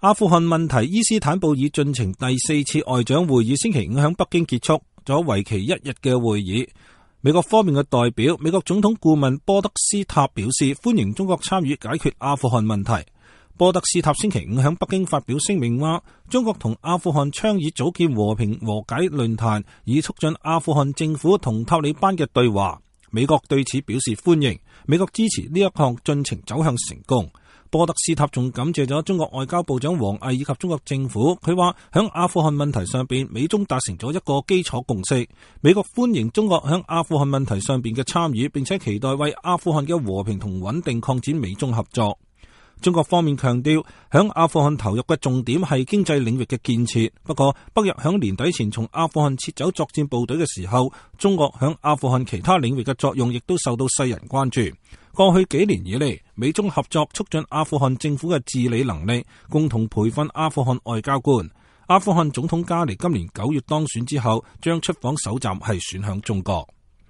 阿富汗問題伊斯坦布爾進程第4次外長會議星期五喺北京結束咗為期1日嘅會議。美國方面嘅代表美國總統顧問波德斯塔表示歡迎中國參與解決阿富汗問題。波德斯塔星期五喺北京發表聲明話，中國同阿富汗倡議組建和平和解論壇，以促進阿富汗政府同塔利班嘅對話。美國對此表示歡迎，美國支持呢一項進程走向成功。波德斯塔仲感謝咗中國外交部長王毅以及中國政府。佢話響阿富汗問題上邊，美中達成咗一個基礎共識。美國歡迎中國響阿富汗問題上邊嘅參與，並且期待為阿富汗嘅和平同穩定擴展美中合作。中國方面強調，響阿富汗投入嘅重點係經濟領域嘅建設。不過，北約響年底前從阿富汗撤走作戰部隊嘅時候，中國響阿富汗其他領域嘅作用亦都受到世人關注。過去幾年以嚟，美中合作促進阿富汗政府嘅治理能力，共同培訓阿富汗外交官。阿富汗總統加尼今年9月當選之後，將出訪首站係選響中國。